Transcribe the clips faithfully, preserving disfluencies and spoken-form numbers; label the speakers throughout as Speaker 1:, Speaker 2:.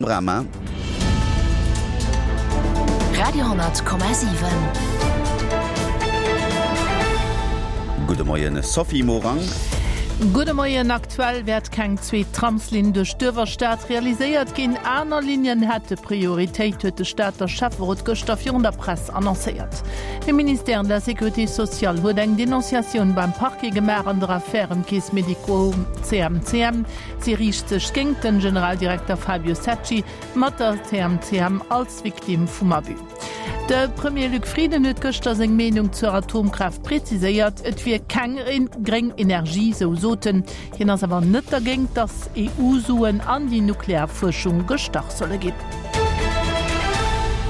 Speaker 1: Brahma.
Speaker 2: Radio hundert Komma siwen.
Speaker 1: Gudde Moien Sophie Morang.
Speaker 3: Gudde Moien, Aktuell wäert keng zweet Tramslinn duerch d'Uewerstad realiséiert ginn. Aner Linien hätte Prioritéit, huet de Stater Schäfferot gëschter virun der Press annoncéiert. De Ministère de la Sécurité sociale huet eng Denonciatioun beim Parquet gemaach an der Affär ëm d'Caisse Médico C M C M. Si riicht sech géingt den Generaldirekter Fabio Secci mat der C M C M als Victime vum Abus. De Premier Luc Frieden huet gëschter seng Meenung zur Atomkraaft preziséiert. Et wier keng gréng Energie, sou sot en. Hien ass awer net dergéint, datt E U-Suen an déi nuklear Fuerschung gestach solle ginn.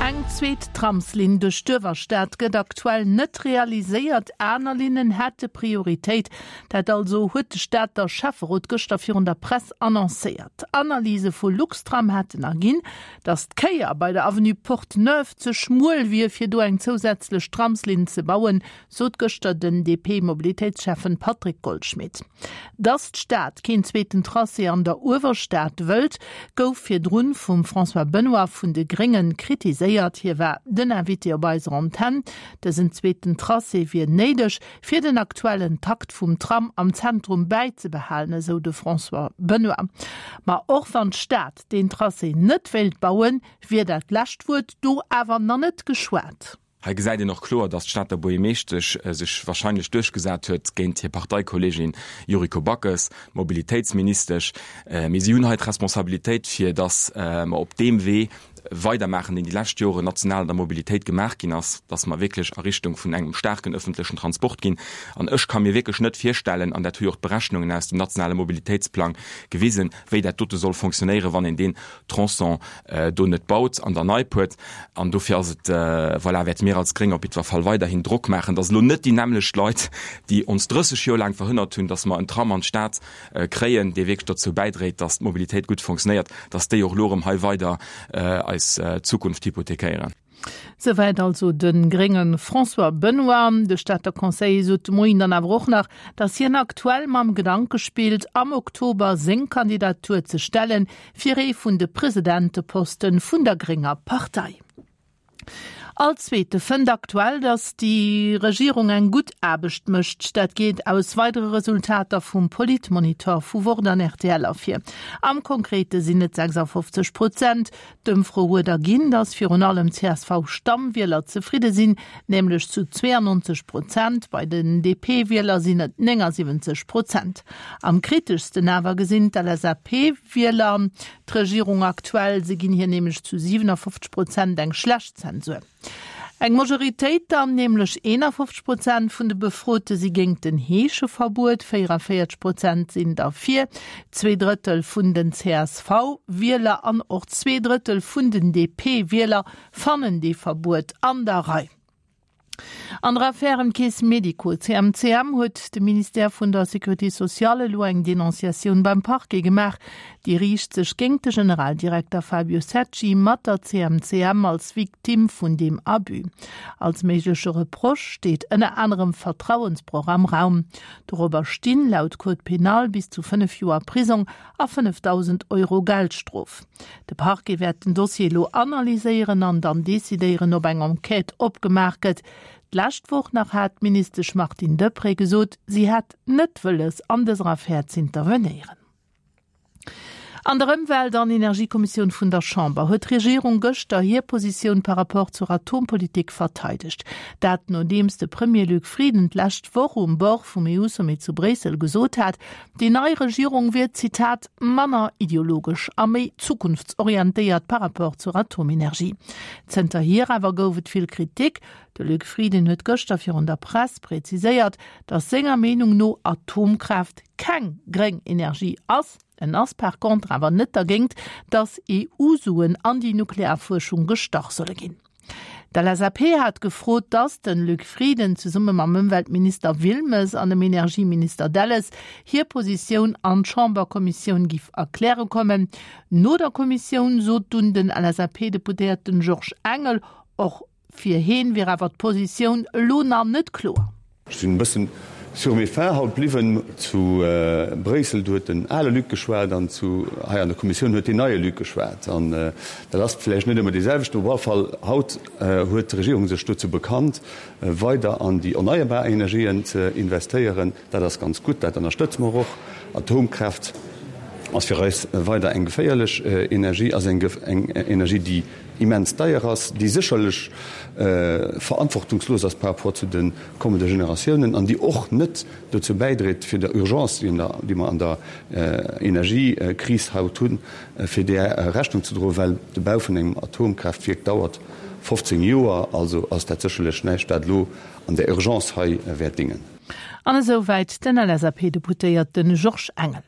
Speaker 3: Eng zweet Tramslinn duerch d'Uewerstad gëtt aktuell net realiséiert. Aner Linnen hätte Prioritéit. Dat also huet de Stater Schäfferot gëschter virun der Press annoncéiert. Analyse vu Luxtram hätten erginn, datt d'Kéier bei der Avenue Porte Neuve ze schmuel wier, fir do eng zousätzlech Tramslinn ze bauen, sot gëschter den D P-Mobilitéitsschäffen Patrick Goldschmidt. Datt d'Stad keen zweeten Tracé an der Uewerstad wëllt, gouf virdrun vum François Benoy vun de Gréngen kritiséiert. Hie war den Invité op eiser Antenn. Dësen zweeten Tracé wier néideg, fir den aktuellen Takt vum Tram am Zentrum bäizebehalen, esou de François Benoy. Ma och wann d'Stad den Tracé net wéilt bauen, wier dat lescht Wuert do awer nach net geschwat.
Speaker 4: Hei gesäit een och kloer, datt d'Stater Buergermeeschtesch sech wahrscheinlech duerchgesat huet géint hir Parteikolleegin Yuriko Backes, d'Mobilitéitsministesch. Mee si hunn hei d'Responsabilitéit, fir datt mer op deem Wee weidermaachen, deen déi lescht Joren national an der Mobilitéit gemaach ginn ass, datt mer wierklech a Richtung vun engem staarken ëffentlechen Transport ginn. An ech ka mir wierklech net virstellen, an dat hu jo och d'Berechnungen aus dem nationale Mobilitéitsplang gewisen, wéi dat dote soll fonctionnéieren, wann een deen Tronçon do net baut an der Neipuert. An dofir ass et, voilà, wäerte mir als Gréng op jiddwer Fall weiderhin Drock maachen, datt elo net déi nämmlecht Leit, déi ons drësseg Joer laang verhënnert hunn, datt mer en Tram an d'Stad kréien, dee wierklech dozou bäidréit, datt d'Mobilitéit gutt fonctionnéiert, datt déi och elo erëm hei weider eis Zukunft hypothekéieren.
Speaker 3: Souwäit also de grénge François Benoy. De Stater Conseiller sot de Moien dann awer och nach, datt hien aktuell mam Gedanke spillt, am Oktober seng Kandidatur ze stellen, fir ee vun de Presidenteposten vun der grénger Partei. All Zweete fënnt aktuell, datt déi Regierung eng gutt Aarbecht mécht. Dat geet aus weidere Resultater vum Politmonitor vu Wort an R T L ervir. Am Konkrete sinn et sechsafofzeg Prozent. D'Ëmfro huet erginn, datt virun allem C S V-Stammwieler zefridde sinn, nämlech zu zwéiannonzeg Prozent. Bei den D P-Wieler sinn et néngasiwwenzeg Prozent. Am kriteschsten awer gesinn d'L S A P-Wieler d'Regierung aktuell. Se ginn hir nämlech zu siwenafofzeg Prozent eng schlecht Zensur. Eng Majoritéit dann, nämlech eenafofzeg Prozent vun de Befrote si géint den Heescheverbuet, véieranvéierzeg Prozent sinn derfir, zwee Drëttel vun den C S V-Wieler an och zwee Drëttel vun den D P-Wieler fannen dee Verbuet an der Rei. An der Affär ëm d'Caisse Médico C M C M huet de Ministère vun der Sécurité sociale elo eng Denonciatioun beim Parquet gemaach. Déi riicht sech géint de Generaldirekter Fabio Secci mat der C M C M als Victime vun deem Abus. Als méigleche Reproche steet ënner anerem Vertrauensbroch am Raum. Dorobber stinn laut Code pénal bis zu fënnef Joer Prisong a fënnefdausend Euro Geldstrof. De Parquet wäert den Dossier elo analyséieren an dann decidéieren, ob eng Enquête opgemaach gëtt. D'lescht Woch nach hat d'Ministesch Martine Deprez gesot, si hätt net wëlles an dëser Affär z'intervenéieren. An der Ëmwelt an Energiekommissioun vun der Chamber huet d'Regierung gëschter hir Positioun par rapport zur Atompolitik verteidegt. Dat nodeems de Premier Luc Frieden d'lescht Woch um Bord vum E U-Sommet zu Bréissel gesot hat, déi nei Regierung wier, Zitat, manner ideologesch a méi zukunftsorientéiert par rapport zur Atomenergie. Zënterhier awer gouf et vill Kritik. De Luc Frieden huet gëschter virun der Press präziséiert, datt senger Meenung no Atomkraaft keng gréng Energie ass. En ass par contre awer net dergéint, datt E U-Suen an déi Nuklearfuerschung gestach solle ginn. D'L S A P hat gefrot, datt den Luc Frieden zesumme mam Ëmweltminister Wilmes an dem Energieminister Delles hir Positioun an d'Chamberkommissioun giff erkläre kommen. No der Kommissioun sot dunn den L S A P-Deputéierten Georges Engel, och fir hien wier awer d'Positioun elo nach net kloer.
Speaker 5: Ech sinn e bëssen
Speaker 1: Sur mes faim haut bliwwen. Zu Bréissel, do huet den ale Luc geschwat an zu hei an der Kommissioun huet deen neie Luc geschwat. An dat ass vläicht net ëmmer dee selwechten. Op alle Fall, haut huet d'Regierung sech dozou bekannt, weider an déi erneierbar Energien ze investéieren. Dat ass ganz gutt, dat ënnerstëtze mer och. Atomkraaft ass fir eis weider eng geféierlech Energie, ass eng Energie, déi immens deier ass, déi sécherlech verantwortungslos ass par rapport zu de kommende Generatiounen an déi och net dozou bäidréit, fir der Urgence, déi mer an der Energiekris haut hunn, fir där Rechnung ze droen, well de Bau vun engem Atomkraaftwierk dauert fofzéng Joer. Also ass dat sécherlech näischt, wat elo an der Urgence hei wäert dingen.
Speaker 3: An esou wäit den L S A P-Deputéierte Georges Engel.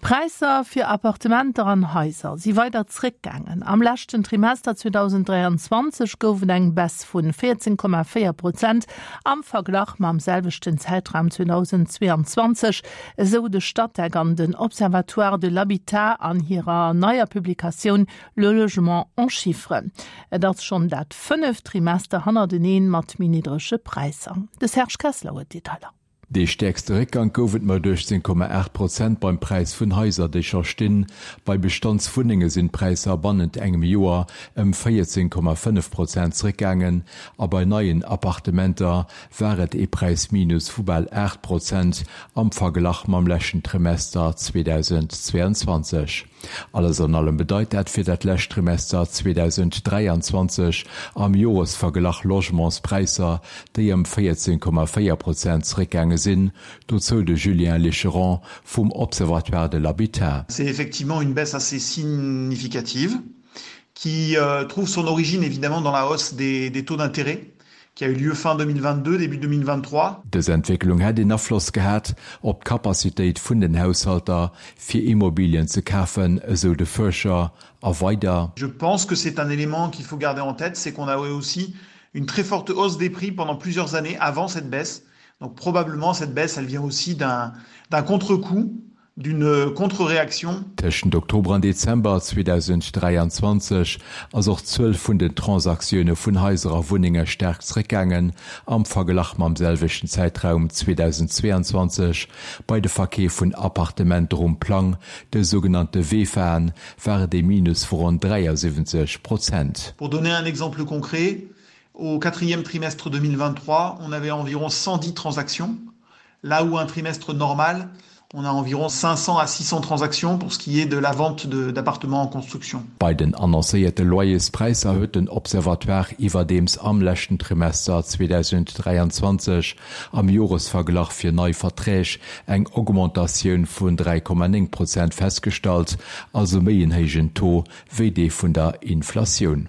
Speaker 3: D'Präisser fir Appartementer an Haiser si weider zréckgaangen. Am leschten Trimester zweedausenddräianzwanzeg gouf et eng Baisse vu véierzéng Komma véier Prozent am Verglach mam selwechten Zäitraum zweedausendzweeanzwanzeg, esou de Statec an den Observatoire de l'habitat an hirer neier Publikatioun Le logement en chiffres. Et ass schonn dat fënneft Trimester hannerteneen mat méi niddrege Präisser. De Serge Kessler huet d'Detailer.
Speaker 5: Dee stäerkste Réckgang gouf et mat uechtzéng Komma aacht Prozent beim Präis vun Haiser, déi scho stinn. Bei Bestandswunnenge sinn d'Präisser bannent engem Joer ëm véierzéng Komma fënnef Prozent zeréckgaangen a bei neien Appartementer war et ee Präisminus vu bal aacht Prozent am Verglach mam leschten Trimester zweedausendzweeanzwanzeg. Alles an allem bedeit dat fir dat lescht Trimester zweedausenddräianzwanzeg am Joresverglach Logementspräisser, déi ëm véierzéng Komma véier Prozent zeréckgaange sinn, dozou de Julien Licheron vum Observatoire de l'habitat.
Speaker 6: C'est effectivement une baisse assez significative qui euh, trouve son origine évidemment dans la hausse des, des taux d'intérêt qui a eu lieu fin deux mille vingt-deux, début deux mille vingt-trois.
Speaker 5: Dës Entwécklung hätt een Afloss gehat op d'Kapazitéit vun den Haushalter fir Immobilien ze kafen, esou de Fuerscher a weider.
Speaker 6: Je pense que c'est un élément qu'il faut garder en tête, c'est qu'on a aussi une très forte hausse des prix pendant plusieurs années avant cette baisse. Donc probablement cette baisse, elle vient aussi d'un d'un contre-coup, d'une contre-réaction.
Speaker 5: Tëschent Oktober an Dezember zweedausenddräianzwanzeg ass och d'Zuel vun den Transaktioune vun Haiser a Wunnenge staark zeréckgaangen am Verglach mam selwechten Zäitraum zweedausendzweeanzwanzeg. Bei de Verkeef vun Appartementer um Plang, de sougenannte V E F Aen, war et e Minus vu ronn dräiasiwwenzeg Prozent.
Speaker 6: Pour donner un exemple concret, au quatrième trimestre deux mille vingt-trois, on avait environ cent dix transactions, là où un trimestre normal, on a environ cinq cents à six cents transactions pour ce qui est de la vente d'appartements en construction.
Speaker 5: Bei den annoncéierte Loyerspräisser huet den Observatoire iwwerdeems am leschten Trimester zweedausenddräianzwanzeg am Joresverglach fir nei Verträg eng Augmentatioun vun dräi Komma néng Prozent festgestallt, also méi en héijen Taux wéi dee vun der Inflatioun.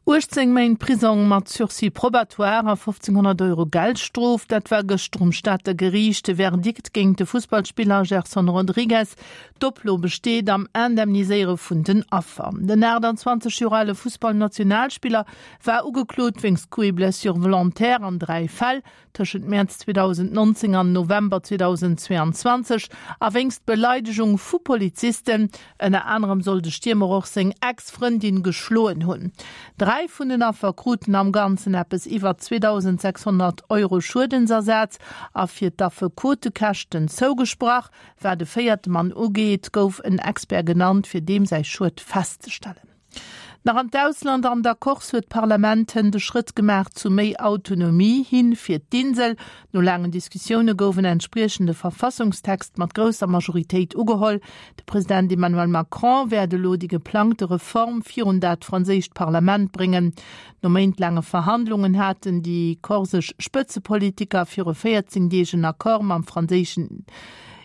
Speaker 3: uechtzéng Méint Prisong mat Sursis probatoire a fofzénghonnert Euro Geldstrof, dat war gëschter um Stater Geriicht de Verdikt géint de Fussballspiller Gerson Rodrigues. D'Oplo besteet am Indemniséiere vun den Affer. Den aachtanzwanzeg Joer ale Fussballnationalspiller war ugeklot wéinst Coups et blessures volontaires an dräi Fäll tëschent Mäerz zweedausendnonzéng an November zweedausendzweeanzwanzeg a wéinst Beleidegung vu Polizisten. Ënner anerem soll de Stiermer och seng Ex-Frëndin geschloen hunn. Dräi vun den Affer kruten am Ganzen eppes iwwer zweedausendsechshonnert Euro Schuedensersaz a fir d'Affekotekäschten zougesprach. Wat de véierte Mann ugeet, gouf en Expert genannt, fir deem säi Schued festzestellen. Nach an d'Ausland. An der Corse huet d'Parlament de Schrëtt gemaach zu méi Autonomie hin fir d'Insel. No laangen Diskussioune gouf en entspriechende Verfassungstext mat grousser Majoritéit ugeholl. De President Emmanuel Macron wäert elo déi geplangte Reform virun dat franséischt Parlament bréngen. No méintelaange Verhandlungen haten déi korsesch Spëtzepolitiker viru véierzéng Deeg en Accord mam franséischen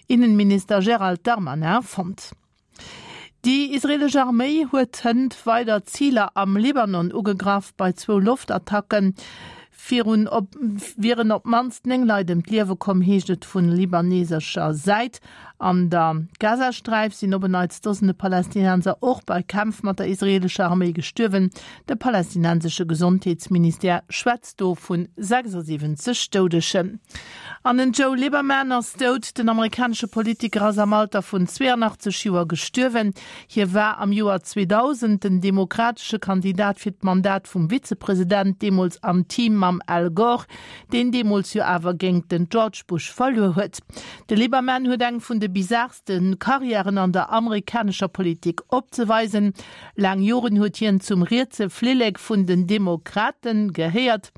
Speaker 3: Innenminister Gérald Darmanin fonnt. Déi israelesch Arméi huet hënt weider Ziler am Libanon ugegraff. Bei zwou Loftattacken virun op wieren op d'mannst néng Leit ëm d'Liewe komm, heescht et vu libanesescher Säit. An der Gazasträif sinn op en Neits Dosende Palästinenser och bei Kämpf mat der israeelescher Arméi gestuerwen. De palästinensesche Gesondheetsministère schwätzt do vu sechsundsiwwenzeg Doudegen. An den Joe Lieberman ass dout. Den amerikanesche Politiker ass am Alter vun zweeanachtzeg Joer gestuerwen. Hie war am Joer zweedausend den demokratesche Kandidat fir d'Mandat vum Vizepresident, deemools am Team mam Al Gore, deen deemools jo awer géingt den George Bush verluer huet. De Lieberman huet eng vun de bizaarste Karriären an der amerikanescher Politik opzeweisen. Laang Joren huet hien zum rietse Flillek vun den Demokrate gehéiert.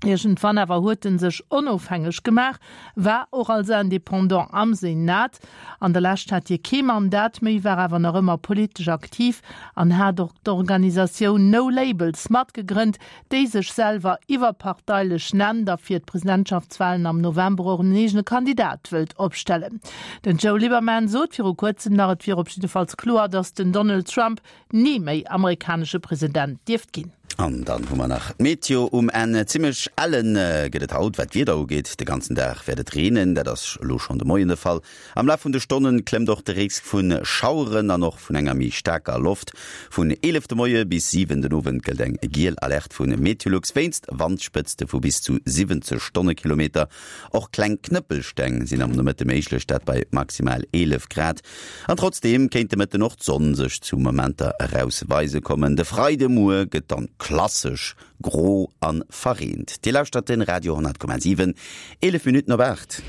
Speaker 3: Iergendwann awer huet en sech onofhängeg gemaach, war och als Indépendant am Senat. An der Lescht hat hie kee Mandat méi, war awer nach ëmmer politesch aktiv an hat och d'Organisatioun No Labels matgegrënnt, déi sech selwer iwwerparteilech nennt a fir d'Presidentschaftswalen am November och en eegene Kandidat wëllt opstellen. Den Joe Lieberman sot viru kuerzem nach, et wier op jiddefalls kloer, datt den Donald Trump ni méi amerikanesche President dierft ginn.
Speaker 7: An dann hu mer nach d'Meteo um Enn. Zimmlech ellen gëtt et haut, wat d'Wieder ugeet. De ganzen Dag wäert et reenen, dat ass elo schonn de Moien de Fall. Am Laf vun de Stonne klëmmt och de Risk vu Schaueren an och vun enger méi staarker Loft. Vun eelef de Moie bis siwen den Owend gëllt eng giel Alerte vu Meteolux wéinst Wandspëtzte vu bis zu siwwenzeg Stonnekilometer. Och kleng Knëppelsteng sinn am Nomëtte méiglech, dat bei maximal eelef Grad. An trotzdeem kéint de Mëtten och d'Sonn sech zu Momenter erausweise kommen. De Freidemuer gëtt dann klassesch gro an verreent. Dir lauschtert den Radio honnert Komma siwen, eelef Minutten op aacht.